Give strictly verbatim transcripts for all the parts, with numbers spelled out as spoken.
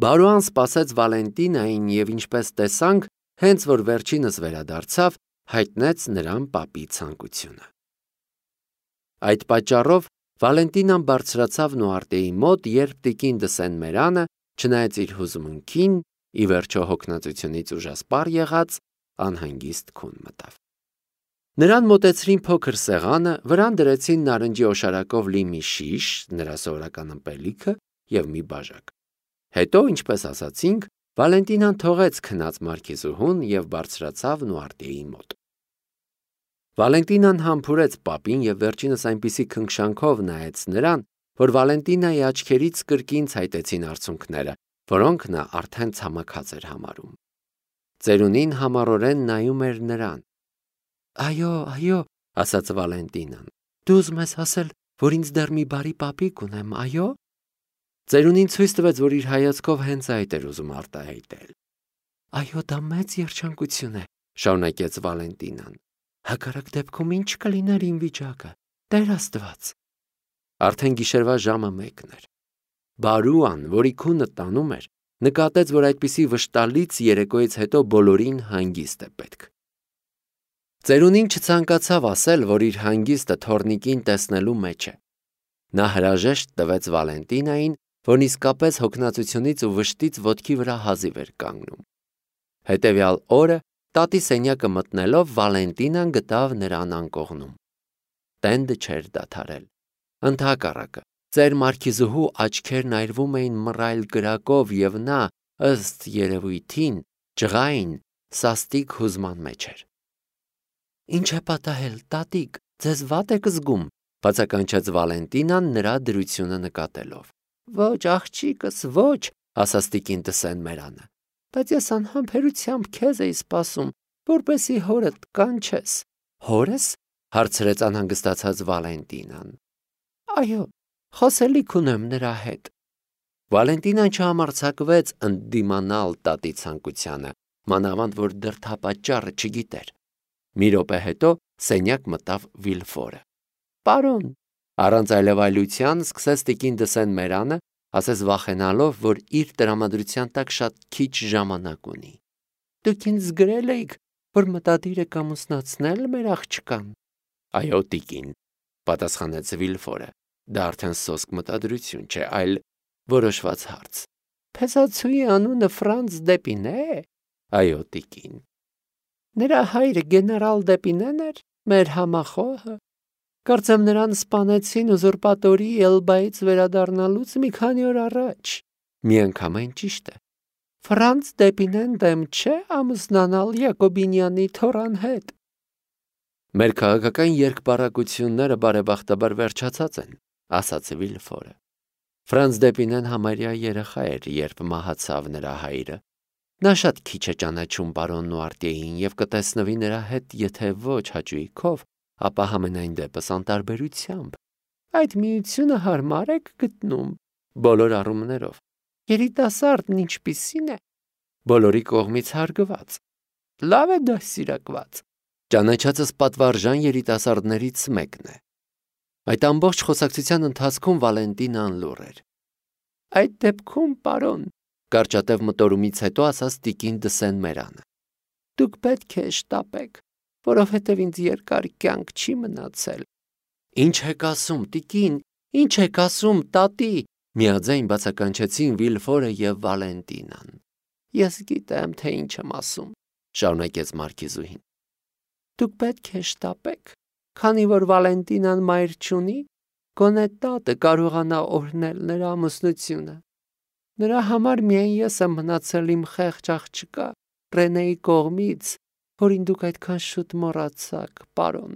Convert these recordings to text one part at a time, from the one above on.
Բարոան սպասեց Վալենտինային և ինչպես տեսանք, հենց որ վերջինս վերադարձավ, հայտնեց նրան պապի ցանկությունը։ Այդ պատճառով Վալենտինան բարձրացավ Նուարտիեի մոտ, երբ տիկին դը Սեն-Մերանը, չնայած իր հուզմունքին, ի վերջո հոգնածությունից ուժասպառ եղած, անհանգիստ քուն մտավ։ Նրան մոտեցրին փոքր սեղանը, վրան դրեցին նարնջի օշարակով լի մի շիշ, նրա սովորական ըմպելիքը և մի բաժակ։ Հետո, ինչպես ասացինք, Վալենտինան թողեց քնած մարքիզուհուն և բարձրացավ Նուարտիեի մոտ։ Վալենտինան համբուրեց պապին և վերջինս այնպիսի քնքշանքով նայեց նրան, որ Վալենտինայի աչքերից կրկին ցայտեցին արցունքները, որոնք նա արդեն ցամաքած էր համարում։ Ծերունին համառորեն նայում էր նրան։ Այո, այո, ասաց Վալենտինան, դու ուզում ես ասել, որ ինձ դեռ մի բարի պապիկ ունեմ, այո։ Ծերունին ցույց տվեց, որ իր հայացքով հենց այդ էր ուզում արտահայտել։ Այո, դա մեծ երջանկություն է, շարունակեց Վալենտինան։ Հակառակ դեպքում ինչ կլիներ իմ վիճակը, Տեր Աստված։ Արդեն գիշերվա ժամը մեկն էր։ Բարոան, որի քունը տանում էր, նկատեց, որ այդպիսի վշտալից երեկոյից հետո բոլորին հանգիստ է պետք։ Ծերունին չցանկացավ ասել, որ իր հանգիստը թոռնիկին տեսնելու մեջ է։ Նա հրաժեշտ տվեց Վալենտինային, որն իսկապես հոգնածությունից ու վշտից ոտքի վրա հազիվ էր կանգնում։ Հետևյալ օրը, տատի սենյակը մտնելով, Վալենտինան գտավ նրան անկողնում։ Տենդը չէր դադարել։ Ընդհակառակը, ծեր մարքիզուհու աչքերն այրվում էին մռայլ կրակով, և նա, ըստ երևույթին, ջղայն, սաստիկ հուզման մեջ էր։ Ինչ է պատահել, տատիկ, ձեզ վատ եք զգում, բացականչեց Վալենտինան նրա դրությունը նկատելով։ Ոչ, աղջիկս, ոչ, ասաց տիկին դը Սեն-Մերանը, բայց ես անհամբերությամբ քեզ էի սպասում, որպեսզի հորդ կանչես։ Հորս, հարցրեց անհանգստացած Վալենտինան։ Այո, խոսելիք ունեմ նրա հետ։ Վալենտինան չհամարձակվեց ընդդիմանալ տատի ցանկությանը, մանավանդ որ դրդապատճառը չգիտեր։ Մի րոպե հետո սենյակ մտավ Վիլֆորը։ Պարոն, առանց այլևայլության սկսեց տիկին դը Սեն-Մերանը, ասես վախենալով, որ իր տրամադրության տակ շատ քիչ ժամանակ ունի։ Դուք ինձ գրել էիք, որ մտադիր եք ամուսնացնել մեր աղջկան։ Այո, տիկին, պատասխանեց Վիլֆորը։ Դա արդեն սոսկ մտադրություն չէ, այլ որոշված հարց։ Փեսացուի անունը Ֆրանց Դեպինե է։ Այո, տիկին։ Նրա հայրը գեներալ Դեպինեն էր, մեր համախոհը։ Կարծեմ նրան սպանեցին ուզուրպատորի Էլբայից վերադառնալուց մի քանի օր առաջ։ Միանգամայն ճիշտ է։ Ֆրանց Դեպինեն դեմ չէ ամուսնանալ Յակոբինյանի թոռան հետ։ Մեր քաղաքական երկպառակությունները բարեբախտաբար վերջացած են, ասաց Վիլֆորը։ Ֆրանց Դեպինեն համարյա երեխա էր, երբ մահացավ նրա հայրը։ Նա շատ քիչ է ճանաչում պարոն Նուարտիեին և կտեսնվի նրա հետ, եթե ոչ հաճույքով, ապա համենայն դեպս անտարբերությամբ։ Այդ միությունը հարմար եք գտնում բոլոր առումներով։ Երիտասարդն ինչպիսին է։ Բոլորի կողմից հարգված։ Լավ է դաստիարակված։ Ճանաչածս պատվարժան երիտասարդներից մեկն է։ Այդ ամբողջ խոսակցության ընթացքում Վալենտինան լուռ էր։ Այդ դեպքում, պարոն, կարճատև մտորումից հետո ասաց տիկին դը Սեն-Մերանը, դուք պետք է շտապեք, որովհետև ինձ երկար կյանք չի մնացել։ Ինչ եք ասում, տիկին, ինչ եք ասում, տատի, միաձայն բացականչեցին Վիլֆորը և Վալենտինան։ Ես գիտեմ, թե ինչ եմ ասում, շարունակեց մարքիզուհին։ Դուք պետք է շտապեք, քանի որ Վալենտինան մայր չունի, գոնե տատը կարողանա օրհնել նրա ամուսնությունը։ Նրա համար միայն ես եմ մնացել իմ խեղճ աղջկա Ռենեի կողմից, որին դուք այդքան շուտ մոռացաք, պարոն։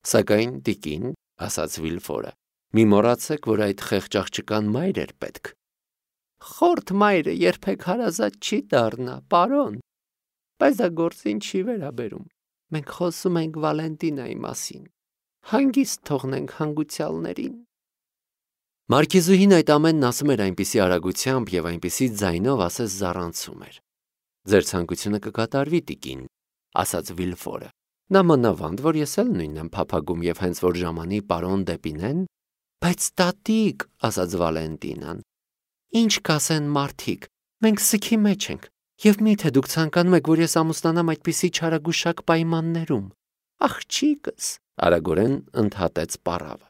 Սակայն, տիկին, ասաց Վիլֆորը, մի մոռացեք, որ այդ խեղճ աղջկան մայր էր պետք։ Խորթ մայրը երբեք հարազատ չի դառնա, պարոն։ Բայց դա գործին չի վերաբերում։ Մենք խոսում ենք Վալենտինայի մասին։ Հանգիստ թողնենք հանգուցյալներին։ Մարքիզուհին այդ ամենն ասում էր այնպիսի արագությամբ և այնպիսի ձայնով, ասես զառանցում էր։ Ձեր ցանկությունը կկատարվի, տիկին, ասաց Վիլֆորը։ Նա մանավանդ, որ ես էլ նույնն եմ փափագում և հենց որ ժամանի պարոն Դեպինեն, բայց տատիկ, ասաց Վալենտինան, ինչ կասեն մարդիկ, Մենք սգի մեջ ենք, եւ միթե դուք ցանկանում եք, որ ես ամուսնանամ այդպիսի չարագուշակ պայմաններում։ Աղջիկս, արագորեն ընդհատեց պարավը։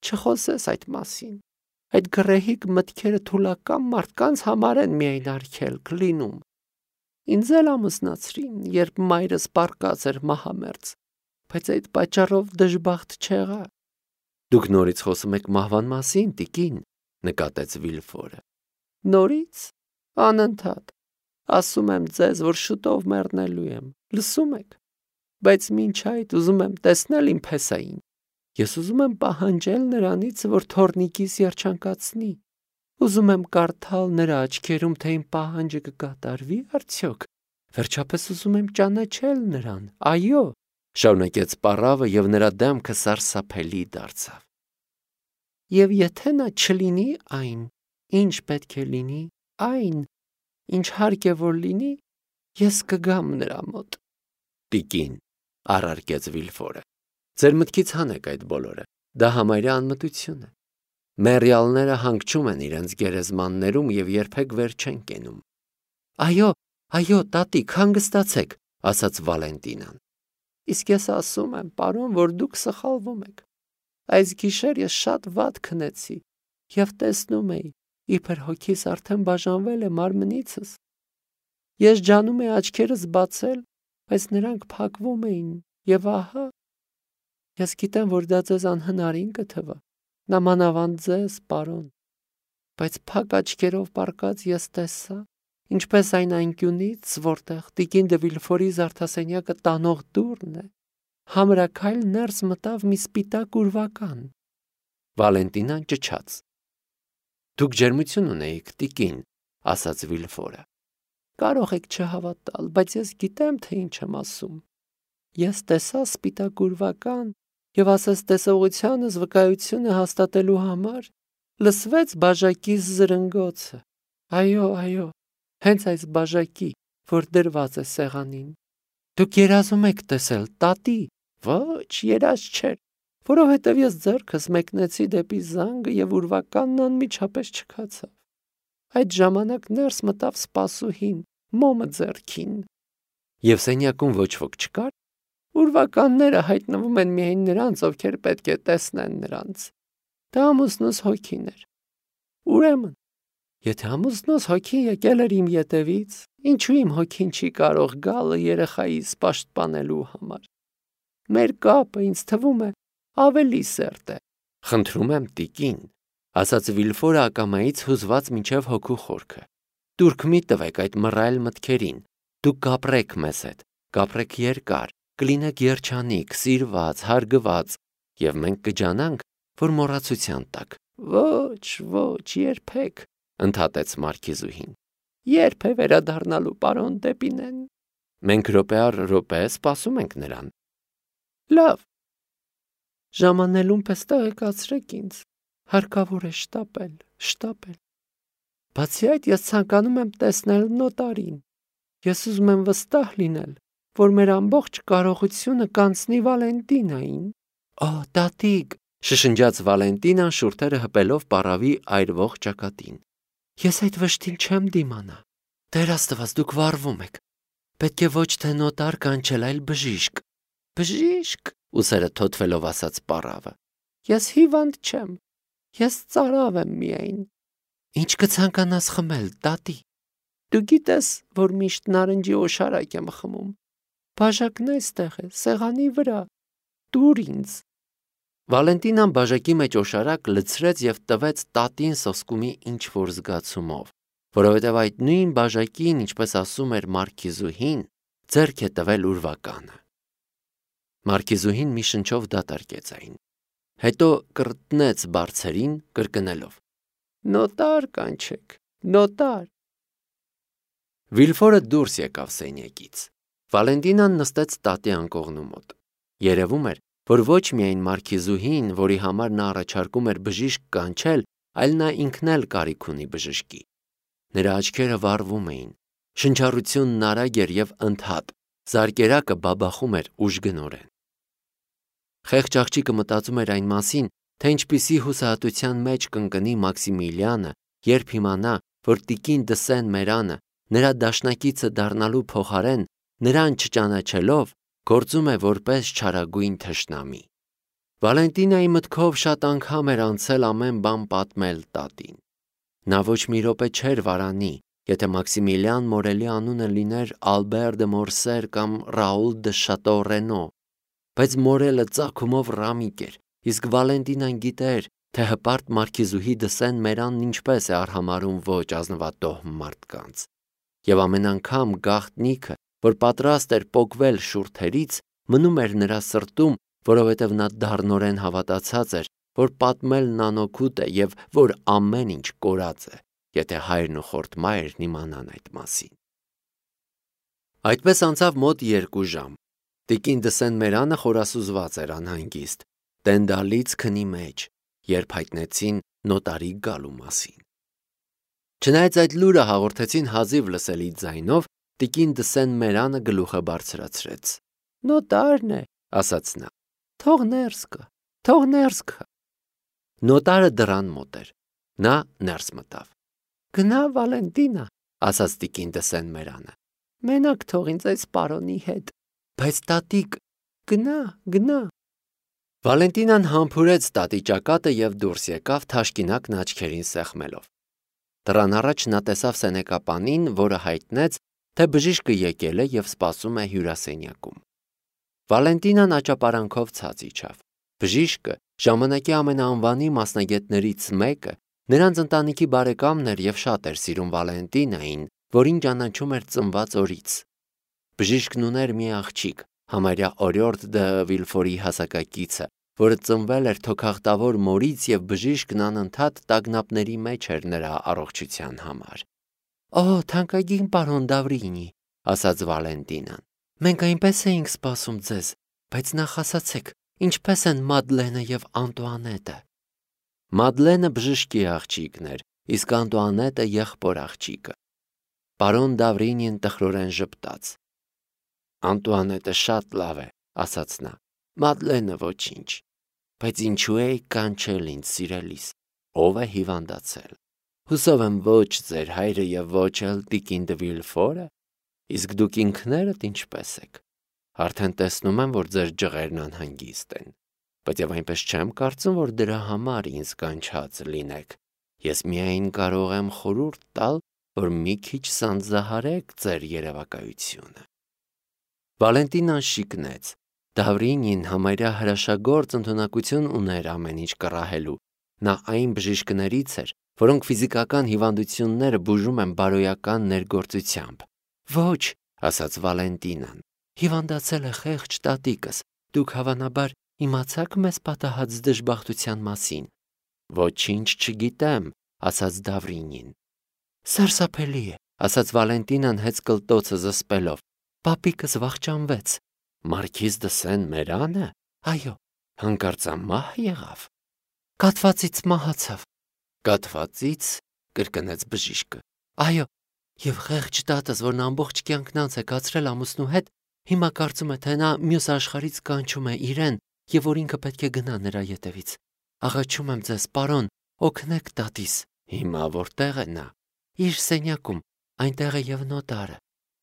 Չխոսես այդ մասին։ Այդ գրեհիկ մտքերը թուլական մարդկանց համար են միայն արգելք լինում։ Ինձ էլ ամուսնացրին, երբ մայրս պառկած էր մահամերձ, բայց այդ պատճառով դժբախտ չեղա։ Դուք նորից խոսում եք մահվան մասին, տիկին, նկատեց Վիլֆորը։ Նորից, անընդհատ, ասում եմ ձեզ, որ շուտով մեռնելու եմ, լսում եք, բայց մինչ այդ ուզում եմ տեսնել իմ փեսային։ Ես ուզում եմ պահանջել նրանից, որ թորնիկիս երջանկացնի։ Ուզում եմ կարդալ նրա աչքերում, թե իմ պահանջը կկատարվի արդյոք։ Վերջապես ուզում եմ ճանաչել նրան, այո, շարունակեց պառավը եւ նրա դեմքը սարսափելի դարձավ։ Եվ եթե նա չլինի այն, ինչ պետք է լինի, այն, ինչ հարկ է որ լինի, ես կգամ նրա մոտ։ Տիկին, առարկեց Վիլֆորը, ձեր մտքից հանեք այդ բոլորը, դա համարյա անմտություն է։ Մեռյալները հանգչում են իրենց գերեզմաններում եւ երբեք վեր չեն կենում։ Այո, այո, տատիկ, հանգստացեք, ասաց Վալենտինան։ Իսկ ես ասում եմ, պարոն, որ դուք սխալվում եք։ Այս գիշեր ես շատ վատ քնեցի եւ տեսնում էի, իբր հոգիս արդեն բաժանվել է մարմնիցս։ Ես ջանում էի աչքերս բացել, բայց նրանք փակվում էին եւ ահա ես գիտեմ, որ դա ձեզ անհնարին կթվա, նամանավանդ ձեզ, պարոն, բայց փակ աչքերով պառկած ես տեսա, ինչպես այն անկյունից, որտեղ տիկին դե Վիլֆորի զարդասենյակը տանող դուռն է, համրաքայլ ներս մտավ մի սպիտակ ուրվական։ Վալենտինան ճչաց։ Դուք ջերմություն ունեիք, տիկին, ասաց Վիլֆորը։ Կարող եք չհավատալ, բայց ես գիտեմ, թե ինչ եմ ասում։ Ես տեսա սպիտակ ուրվական եւ ասես տեսողությանս վկայությունը հաստատելու համար լսվեց բաժակիս զրնգոցը։ Այո, այո, հենց այս բաժակի, որ դրված է սեղանին։ Դուք երազում եք տեսել, տատի։ Ոչ, երազ չէր, որովհետև ես ձեռքս մեկնեցի դեպի զանգը եւ ուրվականն անմիջապես չքացավ։ Այդ ժամանակ ներս մտավ սպասուհին, մոմը ձեռքին։ Եվ սենյակում ոչ ոք չկար։ Ուրվականները հայտնվում են միայն նրանց, ովքեր պետք է տեսնեն նրանց։ Դա ամուսնուս հոգին էր։ Ուրեմն, եթե ամուսնուս հոգին եկել էր իմ ետևից, ինչու իմ հոգին չի կարող գալ երեխայիս պաշտպանելու համար։ Մեր կապը ինձ թվում է ավելի սերտ է։ Խնդրում եմ, տիկին, ասաց Վիլֆորը ակամայից հուզված մինչև հոգու խորքը։ Դուրք մի տվեք այդ մռայլ մտքերին։ Դուք կապրեք մեզ հետ, կապրեք երկար, կլինեք երջանիկ, սիրված, հարգված, եւ մենք կջանանք, որ մոռացության տակ։ Ոչ, ոչ, երբեք, ընդհատեց մարքիզուհին։ Երբ է վերադառնալու պարոն Դեպինեն։ Մենք րոպե առ րոպե սպասում ենք նրան։ Լավ։ Ժամանելուն պես տեղեկացրեք ինձ։ Հարկավոր է շտապել, շտապել։ Բացի այդ, ես ցանկանում եմ տեսնել նոտարին։ Ես ուզում եմ վստահ լինել, որ մեր ամբողջ կարողությունը կանցնի Վալենտինային։ Օ, տատիկ, շշնջաց Վալենտինան շուրթերը հպելով պառավի այրվող ճակատին։ Ես այդ վշտին չեմ դիմանա։ Տեր Աստված, դուք վառվում եք։ Պետք է ոչ թե նոտար կանչել, այլ բժիշկ։ Բժիշկ, ուսերը թոթվելով ասաց պառավը։ Ես հիվանդ չեմ։ Ես ծարավ եմ միայն։ Ինչ կցանկանաս խմել, տատի։ Դու գիտես, որ միշտ նարնջի օշարակ եմ խմում։ Բաժակն այստեղ է, սեղանի վրա։ Դուր ինձ։ Վալենտինան բաժակի մեջ օշարակ լցրեց եւ տվեց տատին սոսկումի ինչ-որ զգացումով, որովհետեւ այդ նույն բաժակին, ինչպես ասում էր մարքիզուհին, ձեռք է տվել ուրվականը։ Մարքիզուհին մի շնչով դատարկեց այն։ Հետո կրտնեց բարձերին, կրկնելով. Նոտար կանչեք, նոտար։ Վիլֆորը դուրս եկավ սենյակից։ Վալենտինան նստեց տատի անկողնու մոտ։ Երևում էր, որ ոչ միայն մարքիզուհին, որի համար նա առաջարկում էր բժիշկ կանչել, այլ նա ինքն էլ կարիք ունի բժշկի։ Նրա աչքերը վառվում էին, շնչառությունն արագ էր եւ ընդհատ, զարկերակը բաբախում էր ուժգնորեն։ Խեղճ աղջիկը մտածում էր այն մասին, թե ինչպիսի հուսահատության մեջ կընկնի Մաքսիմիլիանը, երբ իմանա, որ տիկին Դսեն Մերանը նրա դաշնակիցը դառնալու փոխարեն նրան չճանաչելով գործում է որպես չարագույն թշնամի։ Վալենտինայի մտքով շատ անգամ էր անցել ամեն բան պատմել տատին։ Նա ոչ մի րոպե չէր վարանի, եթե Մաքսիմիլիան Մորելի անունը լիներ Ալբեր դե Մորսեր կամ Ռաուլ դե Շատո Ռենո, բայց Մորելը ծագումով ռամիկ էր, իսկ Վալենտինան գիտեր, թե հպարտ մարքիզուհի Դսեն Մերանն ինչպես է արհամարհում ոչ ազնվատոհ մարդկանց։ Եվ ամեն անգամ գաղտնիքը, որ պատրաստ էր պոկվել շուրթերից, մնում էր նրա սրտում, որովհետև նա դառնորեն հավատացած էր, որ պատմելն անօգուտ է և որ ամեն ինչ կորած է, եթե հայրն ու խորթ մայրն իմանան այդ մասին։ Այդպես անցավ մոտ երկու ժամ։ Տիկին Դսեն Մերանը խորասուզված էր անհանգիստ, տենդալից քնի մեջ, երբ հայտնեցին նոտարի գալու մասին։ Չնայած այդ լուրը հաղորդեցին հազիվ լսելի ձայնով, տիկին Դսեն Մերանը գլուխը բարձրացրեց։ Նոտարն է, ասաց նա։ Թող ներս գա, թող ներս գա։ Նոտարը դռան մոտ էր։ Նա ներս մտավ։ Գնա Վալենտինա, ասաց տիկին Դսեն Մերանը։ Մենակ թող ինձ այս պարոնի հետ։ Բայց տատիկ, գնա, գնա։ Վալենտինան համբուրեց տատի ճակատը և դուրս եկավ թաշկինակն աչքերին սեղմելով։ Դռան առաջ նա տեսավ սենեկապանին, որը հայտնեց, թե բժիշկը եկել է և սպասում է հյուրասենյակում։ Վալենտինան աճապարանքով ցած իջավ։ Բժիշկը, ժամանակի ամենաանվանի մասնագետներից մեկը, նրանց ընտանիքի բարեկամն էր և շատ էր սիրում Վալենտինային, որին ճանաչում էր ծնված օրից։ Բժիշկն ուներ մի աղջիկ, համարյա Օրիորդ դը Վիլֆորի հասակակիցը, որը ծնվել էր թոքախտավոր մորից և բժիշկն անընդհատ տագնապների մեջ էր նրա առողջության համար։ Օ, թանկագին պարոն Դավրինի, ասաց Վալենտինան, մենք այնպես էինք սպասում ձեզ, բայց նախ ասացեք, ինչպես են Մադլենը և Անտուանետը։ Մադլենը բժշկի աղջիկն էր, իսկ Անտուանետը եղբոր աղջիկը։ Պարոն Դավրինին տխրորեն ժպտաց։ Անտուանետը շատ լավ է, ասաց նա, Մադլենը ոչինչ, բայց ինչու էի կանչել ինձ սիրելիս, ով է հիվանդացել։ Հուսով եմ ոչ ձեր հայրը և ոչ էլ տիկին դը Վիլֆորը, իսկ դուք ինքներդ ինչպես եք։ Արդեն տեսնում եմ, որ ձեր ջղերն անհանգիստ են, բայց և այնպես չեմ կարծում, որ դրա համար ինձ կանչած լինեք։ Ես միայն կարող եմ խորհուրդ տալ, որ մի քիչ սանձահարեք ձեր երևակայությունը։ Վալենտինան շիկնեց։ Դավրինին համարյա հրաշագործ ընդունակություն ուներ ամեն ինչ կռահելու։ Նա այն բժիշկներից էր, որոնք ֆիզիկական հիվանդությունները բուժում են բարոյական ներգործությամբ։ Ոչ, ասաց Վալենտինան, հիվանդացել է խեղճ տատիկս, դուք հավանաբար իմացաք մեզ պատահած դժբախտության մասին։ Ոչինչ չգիտեմ, ասաց Դավրինին։ Սարսափելի է, ասաց Վալենտինան հեծկլտոցը զսպելով, պապիկս վախճանվեց։ Մարքիզ Դսեն Մերանը, այո, հանկարծամահ եղավ։ Կաթվածից մահացավ։ Կաթվածից, կրկնեց բժիշկը։ Այո, և խեղճ տատս, որն ամբողջ կյանքն անց է կացրել ամուսնու հետ, հիմա կարծում է, թե նա մյուս աշխարհից կանչում է իրեն և որ ինքը պետք է գնա նրա ետևից։ Աղաչում եմ ձեզ, պարոն, օգնեք տատիս։ Հիմա որտեղ է նա։ Իր սենյակում, այնտեղ է և նոտարը։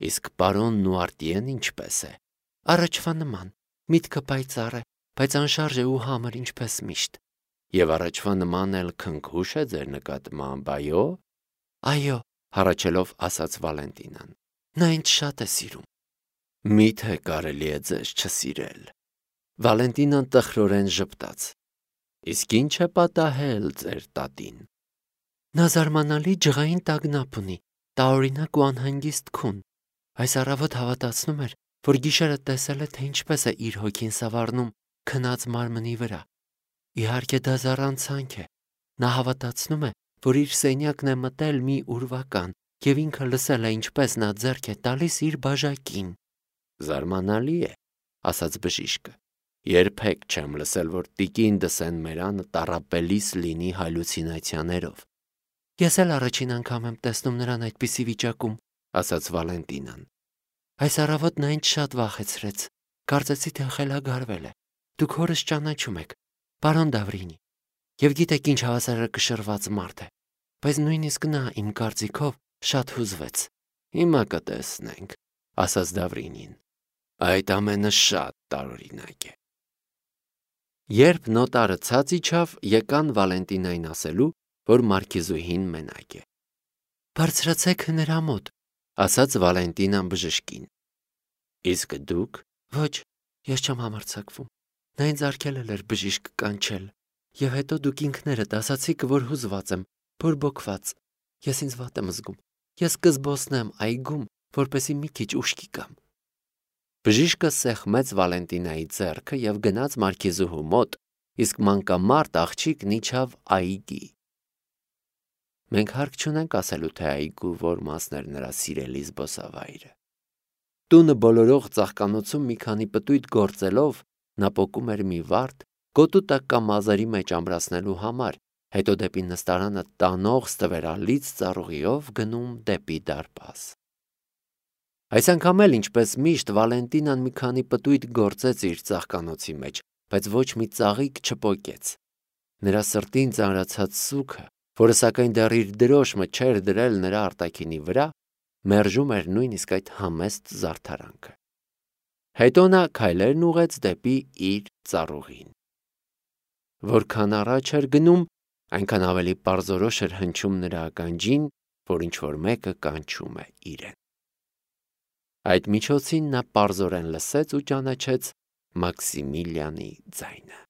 Իսկ պարոնն ու Արտիեն ինչպես է։ Առաջվա նման, միտքը պայծառ է, բայց անշարժ է ու համր ինչպես միշտ։ Եվ առաջվա նման էլ քնքուշ է ձեր նկատմամբ, այո։ Այո, հառաչելով ասաց Վալենտինան։ Նա ինձ շատ է սիրում։ Միթե կարելի է ձեզ չսիրել։ Վալենտինան տխրորեն ժպտաց։ Իսկ ինչ է պատահել ձեր տատին։ Նա զարմանալի ջղային տագնապ ունի, տարօրինակ ու անհանգիստ քուն։ Այս առավոտ հավատացնում էր, որ գիշերը տեսել է, թե ինչպես է իր հոգին սավառնում քնած մարմնի վրա։ Իհարկե դա զառանցանք է։ Նա հավատացնում է, որ իր սենյակն է մտել մի ուրվական և ինքը լսել է, ինչպես նա ձեռք է տալիս իր բաժակին։ Զարմանալի է, ասաց բժիշկը։ Երբեք չեմ լսել, որ տիկին Դսեն Մերանը տառապելիս լինի հալյուցինացիաներով։ Ես էլ առաջին անգամ եմ տեսնում նրան այդպիսի վիճակում, ասաց Վալենտինան։ Այս առավոտ նա ինձ շատ վախեցրեց։ Կարծեցի, թե խելագարվել է։ Դուք հորս ճանաչում եք, պարոն Դավրինի, և գիտեք ինչ հավասարակշռված մարդ է։ Բայց նույնիսկ նա իմ կարծիքով շատ հուզվեց։ Հիմա կտեսնենք, ասաց Դավրինին։ Այդ ամենը շատ տարօրինակ է։ Երբ նոտարը ցած իջավ, եկան Վալենտինային ասելու, որ մարքիզուհին մենակ է։ Բարձրացեք նրա մոտ, ասաց Վալենտինան բժշկին։ Իսկ դուք։ Ոչ, ես չեմ համարձակվում։ Նա ինձ արգելել էր բժիշկ կանչել, եւ հետո դուք ինքներդ ասացիք, որ հուզված եմ, բորբոքված։ Ես ինձ վատ եմ զգում։ Ես կզբոսնեմ այգում, որպեսզի մի քիչ ուշքի գամ։ Բժիշկը սեղմեց Վալենտինայի ձեռքը եւ գնաց մարքիզուհու մոտ, իսկ մանկամարտ աղջիկն իջավ այգի։ Մենք հարկ չունենք ասելու, թե այգու որ մասն էր նրա սիրելի զբոսավայրը։ Տունը բոլորող ծաղկանոցում մի քանի պտույտ գործելով նա պոկում էր մի վարդ, գոտու տակ կամ մազերի մեջ ամրացնելու համար, հետո դեպի նստարանը տանող ստվերալից ծառուղիով գնում դեպի դարպաս։ Այս անգամ էլ ինչպես միշտ Վալենտինան մի քանի պտույտ գործեց իր ծաղկանոցի մեջ, բայց ոչ մի ծաղիկ չպոկեց։ Նրա սրտին ծանրացած սուգը, որը սակայն դեռ իր դրոշմը չէր դրել նրա արտաքինի վրա, մերժում էր նույնիսկ այդ համեստ զարդարանքը։ Հետո նա քայլերն ուղեց դեպի իր ծառուղին։ Որքան առաջ էր գնում, այնքան ավելի պարզորոշ էր հնչում նրա ականջին, որ ինչ-որ մեկը կանչում է իրեն։ Այդ միջոցին նա պարզորեն լսեց ու ճանաչեց Մաքսիմիլյանի ձայնը։